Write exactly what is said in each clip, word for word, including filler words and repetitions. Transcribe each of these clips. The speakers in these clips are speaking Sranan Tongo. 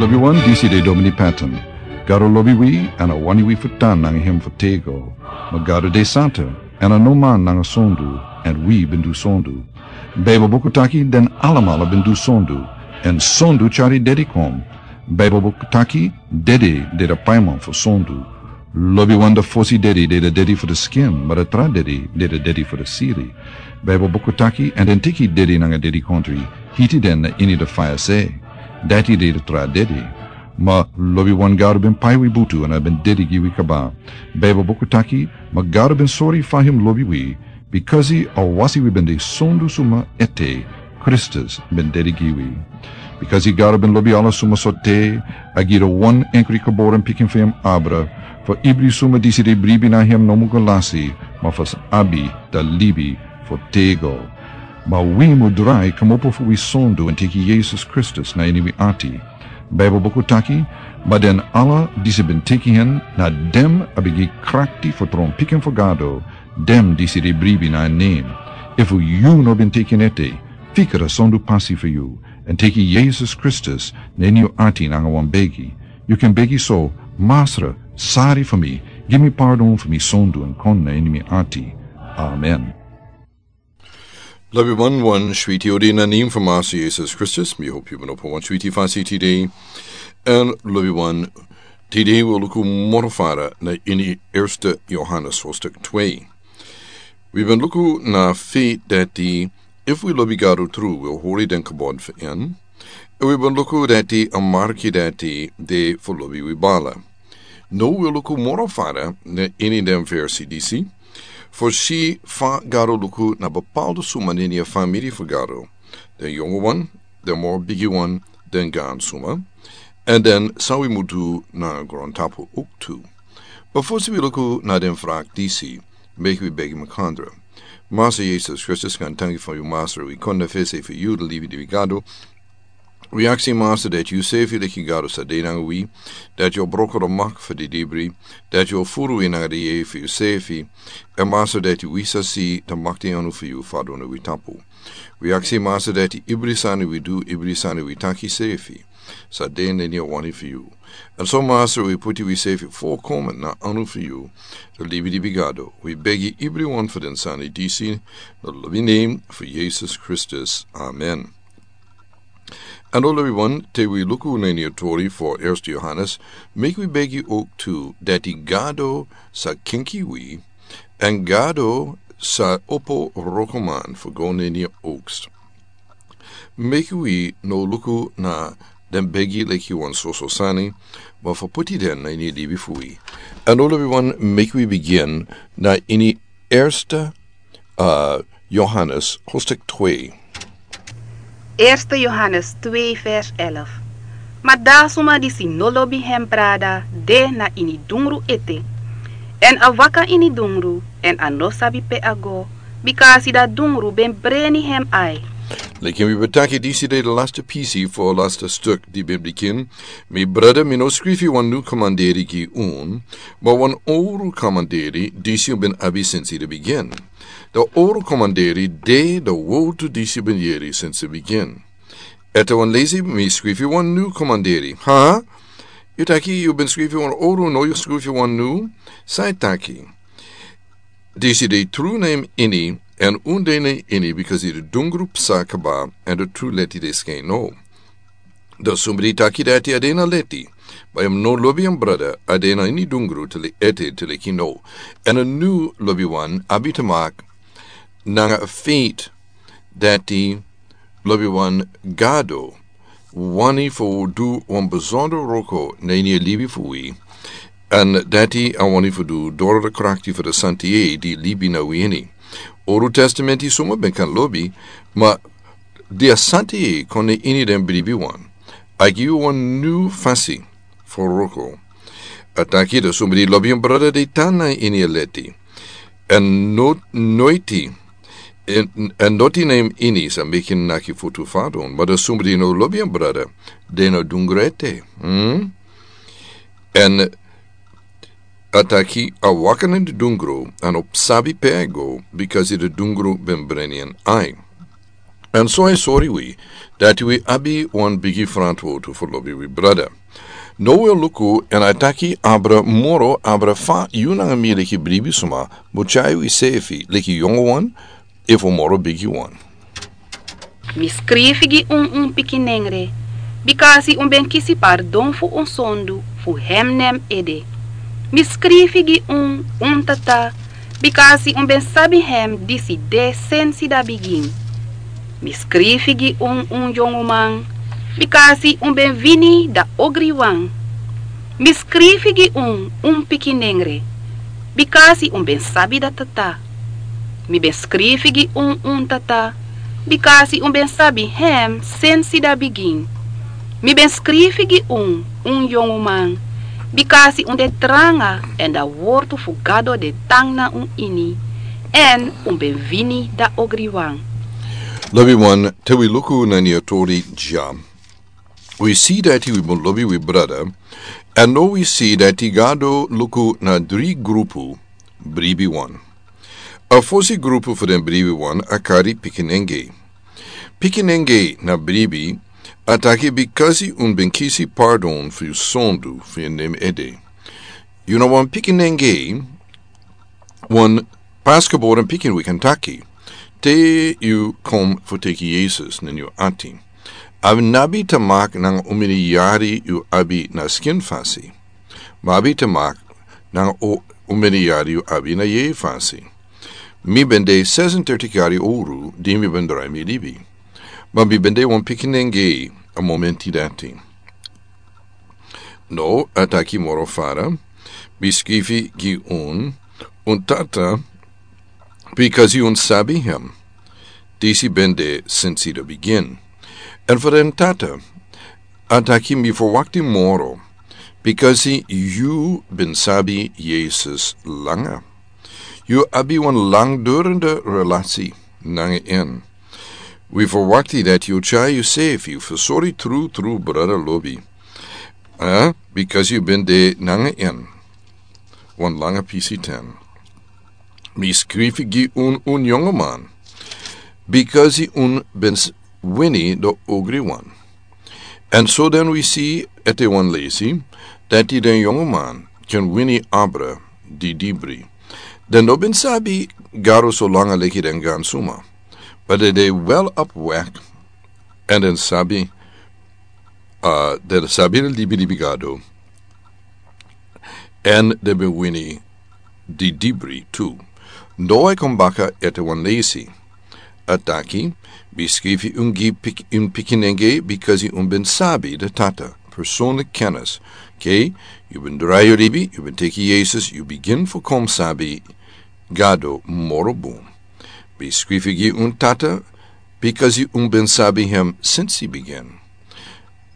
Lobi wan, disi de Domini Patton. Gado lobi wi, èn a wani wi fu tan nanga hem fu tego. Ma Gado de santa, èn a no man nanga sondu, èn wi ben du sondu. Baibel buku taki den alamala ben du sondu, èn sondu tyari dedi kon. Baibel buku taki dede de de paiman fu sondu. Lobi wan, de fosi dedi de de dedi fu de skin, ma de tra dedi de de dedi fu de siri. Baibel buku taki, èn den teki dedi nanga dedi kontri, hiti den na ini de faya se. Dati de de tra dedi. Ma lobi wan, Gado ben pai wi butu èn a ben dedi gi wi kaba. Baibel buku taki, ma Gado ben sori fa hem lobi wi, bikasi a wasi wi ben de sondu suma ete, Kristus ben dedi gi wi. Bikasi Gado ben lobi ala suma so te, a gi de wan enkri geboren pikin fu hem abra, fu ibri suma disi de bribi na hem no mu go lasi, ma fu abi de libi fu tego. Ma wi mu drai kmopo fu wi sondu èn teki Yesus Kristus na ini wi ati. Baibel buku taki, ma den ala disi ben teki hen, na den a ben gi krakti fu tron pikin fu Gado, den disi de bribi na en nen. Efu yu no ben teki en ete, fika de sondu pasi fu yu, èn teki Yesus Kristus na ini yu ati nanga wan begi. Yu kan begi so: Masra, sari fu mi, gi mi pardon fu mi sondu èn kon na ini mi ati. Amen. Lobi wan, wan switi odi na nen fu Masra Yesus Kristus, mi hopi yu ben opo wan switi fasi tide. Èn lobi wan, tide wi o luku moro fara na ini Erste Johannes hoofdstuk twee. Wi ben luku na feit dati efu wi lobi Gado tru, wi o hori den gebod fu en. Èn wi ben luku dati a marki dati de fu lobi wi bala. Now wi o luku moro fara na ini den versi disi, fu si fa Gado luku na bepaalde suma na ini a famiri fu Gado. Den yongu wan, den moro bigi wan, den gaan suma. Èn den san wi mu du na grontapu ook tu. Ma fosi wi luku na den vraag disi, meki wi begi makandra. Masra Yesus Kristus, wi danki fu yu, Masra, wi kon na fesi fu yu, de libi di wi Gado. Wi aksi, Masra, dati yu sefi leki Gado sa de nanga wi, dati yu o broko de mak fu di dibri, dati yu o furu wi nanga di yeye fu yu sefi, èn Masra, dati wi sa si de makti anu fu yu fadon na wi tapu. Wi aksi, Masra, dati ibri sani wi du, ibri sani wi taki sefi, sa de na ini a wani fu yu. Èn so, Masra, wi puti wi sefi volkomen na anu fu yu, de libi di wi Gado. Wi begi ibri wan fu den sani disi na lobi nen fu Yesus Kristus. Amen. Èn now lobi wan, te wi luku na ini a tori fu Erste Johannes, meki wi begi ook tu dati Gado sa kenki wi, èn Gado sa opo wrokoman fu go na ini a oogst. Meki wi no luku na den begi leki wan soso sani, ma fu puti den na ini a libi fu wi. Èn now lobi wan, meki wi bigin na ini Erste, eh, Johannes hoofdstuk twee. Eerste Johannes twee vers elf. Ma da suma disi no lobi hem brada de na ini dungru ete. Èn a waka ini dungru, èn a no sabi pe a go, bika a si dati dungru ben breni hem ai. Leki mi ben taki, disi de de laste pisi fu a laste stuk di ben bigin. Mi brada, mi no skrifi wan nu komanderi gi un, ma wan owru komanderi, disi un ben abi sensi de bigin. De owru komanderi de de wortu disi un ben yeri sensi de bigin. Ete wan leisi, mi skrifi wan nu komanderi. Ha? Yu taki yu ben skrifi wan owru, now yu skrifi wan nu? San yu taki? Disi de tru na en ini, èn un de na en ini, bika de dungru psa kaba, èn de tru leti de skin now. Da suma di taki dati a de na leti, ma a no lobi en brada, a de na ini dungru te leki ete, te leki now. Èn a nu lobi wan abi te maki nanga a feit dati lobi wan, Gado wani fu du wan besondro wroko na ini a libi fu wi. Èn dati a wani fu du doro de krakti fu de Santa Yeye di libi na wi ini. Owru Testamenti suma ben kan lobi, ma di a Santa Yeye kon na ini den bribiwan, a gi wi wan nu fasi fu wroko. A taki da suma di lobi en brada de tan na ini a leti. Èn no, noiti, èn, èn noti na en ini sa meki en naki futu fadon, ma da suma di no lobi en brada de na dungru ete. Hmm? Èn a taki a waka na de dungru, a no sabi pe a e go, bika de dungru ben breni en ai. Èn so a e sori wi dati wi abi wan bigi frantwortu fu lobi wi brada. No wi o luku èn a e taki abra moro abra fa yu nanga mi leki bribi suma mu tyai wi sefi leki yongo wan efu moro bigi wan. Mi skrifi gi un un pikinengre, bikasi un ben kisi pardon fu un sondu fu hem nen ede. Mi skrifi gi un un tata, bikasi un ben sabi hem disi de sensi da bigin. Mi skrifi gi un un yonguman, bikasi un ben wini da ogriwan. Mi skrifi gi un un pikinengre, bikasi un ben sabi da tata. Mi ben skrifi gi un un tata, bikasi un ben sabi hem sensi da bigin. Mi ben skrifi gi un un yonguman, bikasi un de tranga èn da wortu fu Gado de tan na un ini, èn un ben wini da ogriwan. Lobi wan, te wi luku na ni a tori dya. Wi si dati wi mu lobi wi brada, èn no wi si dati Gado luku na dri grupu bribi wan. A fosi grupu fu den bribi wan a kari pikinenge. Pikinenge na bribi a taki bikasi un ben kisi pardon fu yu sondu fu yu nen ede. Yu na wan pikinenge, wan paskeboren pikin wi kan taki, te yu kon fu teki Yesus na yu ati. A no abi te maki nanga omeni yari yu abi na skin fasi. Ma abi te maki nanga o omeni yari yu abi na yeye fasi. Mi ben de sesendertig yari owru di mi ben drai mi libi. Ma mi ben de wan pikinenge a momenti dati. No, a taki moro fara, mi skrifi gi un un tata, bikasi un sabi hem. Disi ben de sensi da bigin. Èn fu den tata, a taki mi ferwakti moro, bikasi yu ben sabi Yesus langa. Yu abi wan langdurende relasi nanga en. Wi ferwakti dati yu o tyai yu sefi fu sori tru tru brada lobi. Eh, bikasi yu ben de nanga en wan langa pisi ten. Mi skrifi gi un un yongoman, bikasi un ben wini da ogriwan. Èn so den wi si ete wan lesi dati den yongoman ken wini abra didibri. Den no ben sabi Gado so langa leki den gansuma. Ma den de wel op wek. Èn den sabi, den sabi den libi libi Gado. Èn den ben wini didibri tu. No a e kon baka ete wan lesi. A taki, mi skrifi un gi un pikinenge bikasi un ben sabi da tata, personlik kennis. Oké, yu ben drai yu libi, yu ben teki Yesus, yu bigin fu kon sabi Gado moro bun. Mi skrifi gi un tata, bikasi un ben sabi hem sensi bigin.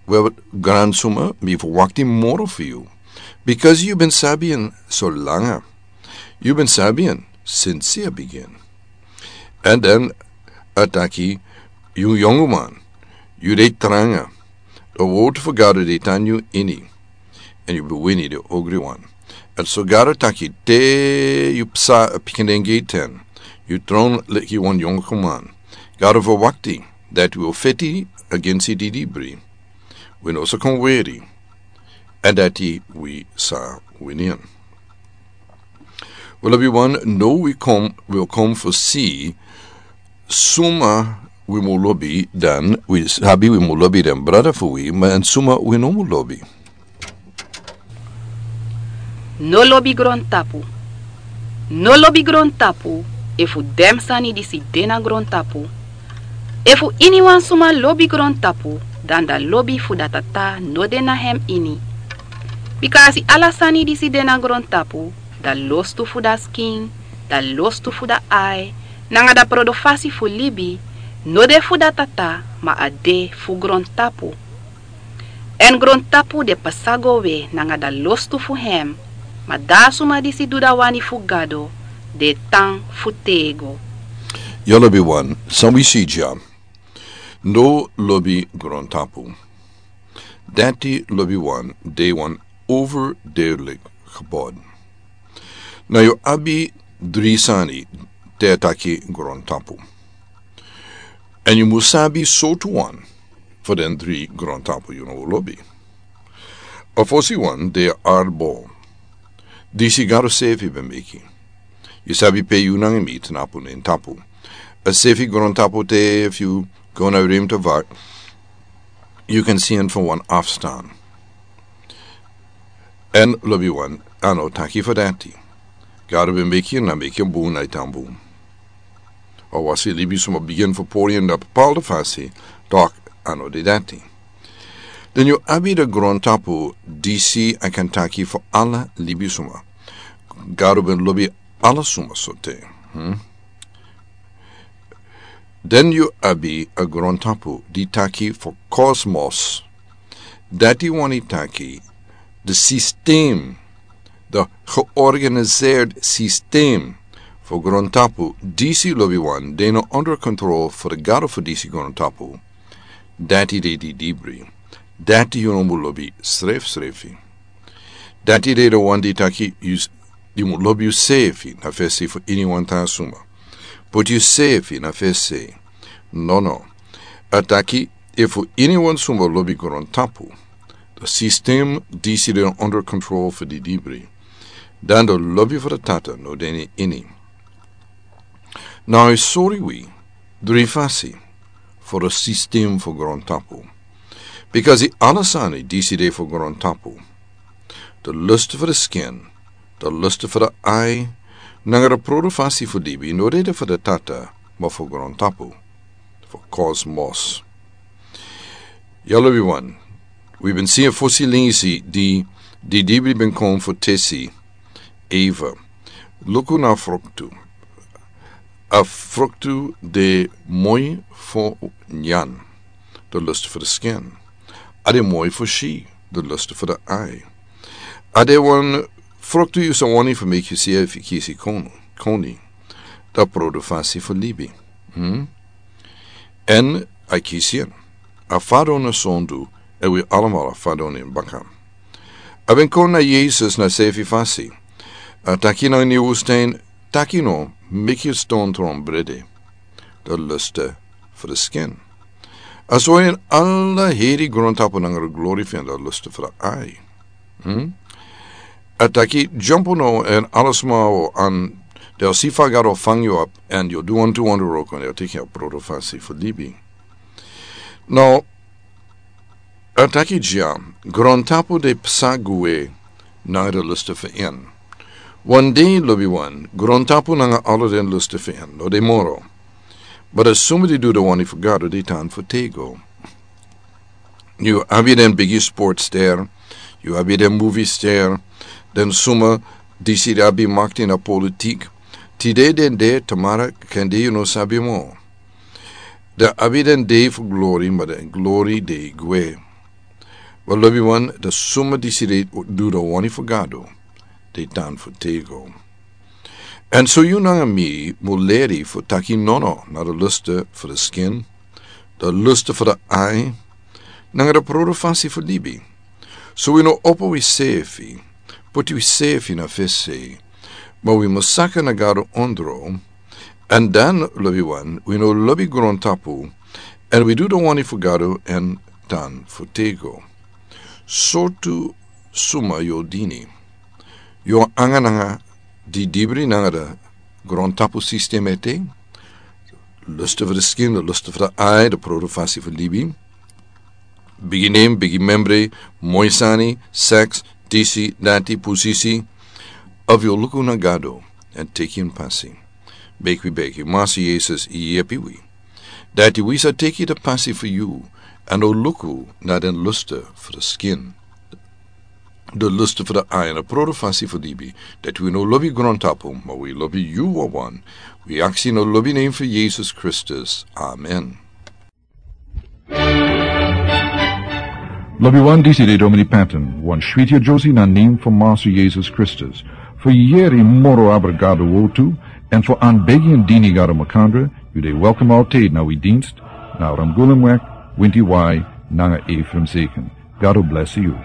Wel, gransuma, mi ferwakti moro fu yu, bikasi yu ben sabi en so langa. Yu ben sabi en sensi a bigin. Èn den a taki, yu yongoman, yu de tranga. Da wortu fu Gado de tan yu ini. Èn yu ben wini da ogriwan. Èn so Gado taki te yu psa a pikinenge ten, yu tron leki wan yongoman. Gado ferwakti dati wi o feti agensi didibri. Wi no sa kon weri. Èn dati wi sa wini en. Wel, lobi wan, no wi kon, wi o kon fu si suma wi mu lobi dan, wi sabi wi mu lobi den brada fu wi, ma èn suma wi no mu lobi. No lobi grontapu. No lobi grontapu, efu den sani disi de na grontapu. Efu iniwan suma lobi grontapu, dan da lobi fu da tata no de na hem ini. Bikasi ala sani disi de na grontapu, da lostu fu da skin, da lostu fu da ai, nanga da prodofasi fu libi, no de fu da tata, ma a de fu grontapu. Èn grontapu de pasa go we nanga da lostu fu hem, ma da suma disi du da wani fu Gado, de tan fu tego. Yu lobi wan, san wi si dya. No lobi grontapu. Dati lobi wan, de wan overduidelijk gebod. Na yu abi dri sani te a taki grontapu. Èn yu mus sabi sortu wan fu den dri grontapu yu no lobi. A fosi wan de a arbol. Disi Gado sefi ben meki. Yu sabi pe yu nanga mi tnapu na en tapu. A sefi grontapu te, efu yu go na rimtavak, yu kan si en fu wan afstan. Èn lobi wan, a no taki fu dati. Gado ben meki en, na meki en bun, na e tan bun. A wasi libisma bigin fu pori en na bepaalde fasi, tok a no de dati. Den yu abi den grontapu disi a kan taki fu ala libisma. Gado ben lobi ala suma sortu. Hmm? Den yu abi a grontapu di taki fu kosmos. Dati wani taki de sistem, de georganiseerd sistem fu grontapu disi lobi wan de no onder kontrol fu de Gado fu disi grontapu. Dati de di dibri. Dati yu no mus lobi srefsrefi. Dati de de wan di taki yu s-, yu mus lobi yusefi na fesi fu iniwan tan suma. Poti yusefi na fesi. No, no. A taki efu iniwan suma lobi grontapu, de sistem disi de no onder kontrol fu di dibri, dan de lobi fu de Tata no de na ini. Now, a sori wi dri fasi fu de sistem fu grontapu. Bikasi ala sani disi de fu grontapu. De lust fu de skin, de lust fu de ai, nanga de produfasi fu libi no de de fu de Tata, ma fu grontapu, fu kosmos. Ya lobi wan, wi ben si a fosi lingisi di, di dibri ben kon fu tesi Eva. Luku na fruktu. A fruktu de moi fu nyan, de lust fu de skin. A de moi fu si, de lust fu de ai. A de wan fruktu yu sa wani fu meki yusefi kisi kon-, koni, de produfasi fu libi. Hmm? Èn a kisi en. A fadon na sondu, èn wi alamala fadon en baka. A ben kon na Yesus na sefi fasi. A taki nanga ni wustain, taki no, meki a ston tron brede. De lust fu de skin. A sori en ala heri grontapu nanga de glori fu en, de lust fu de ai. Hmm? A taki dyompo no èn ala sma o an, den o si fa Gado o fangi yu op, èn yu o du wantu wroko, èn den o teki a produfasi fu libi. Now, a taki dya, grontapu de psa gwe nanga de lust fu en. Wan dei lobi wan, grontapu nanga ala den lust fu en no de moro. Ma den suma di du de wani fu Gado, den tan fu tego. Yu abi den bigi sportster, yu abi den moviester, den suma disi di abi makti na politik. Tide den de, tamara kande yu no sabi mo. Den abi den dei fu glori, ma den glori de gwe. Wel, lobi wan, den suma disi di du de wani fu Gado, den tan fu tego. Èn so yu nanga mi mus leri fu taki nono na de lust fu de skin, de lust fu de ai, nanga de produfasi fu libi. So wi no opo wisefi, poti wisefi na fesi, ma wi mus saka na Gado ondro, èn dan lobi wan, wi no lobi grontapu, èn wi du de wani fu Gado èn tan fu tego. Sortu suma yu o dini? Yu o anga nanga di dibri nanga de grontapu sistem ete, lust fu de skin, de lust fu de ai, de produfasi fu libi, bigi nen, bigi memre, moi sani, seks, disi, dati, pusisi, of yu o luku na Gado èn teki en pasi? Meki wi begi, Masi Yesus, yepi wi, dati wi sa teki de pasi fu yu, èn no luku na den lust fu de skin, de lust fu de ai, èn de produfasi fu libi, dati wi no lobi grontapu, ma wi lobi yu wawan. Wi aksi na lobi nen fu Yesus Kristus. Amen. Lobi wan, disi de Domini Patton, wan switi yesi na nen fu Masi Yesus Kristus. Fu yeri moro abra Gado wortu, èn fu an begi èn dini Gado makandra, yu de welkom altijd na wi dienst, na Ramgulumweg, Winti Wai, nanga Ephraim Zeken. Gado blesi yu.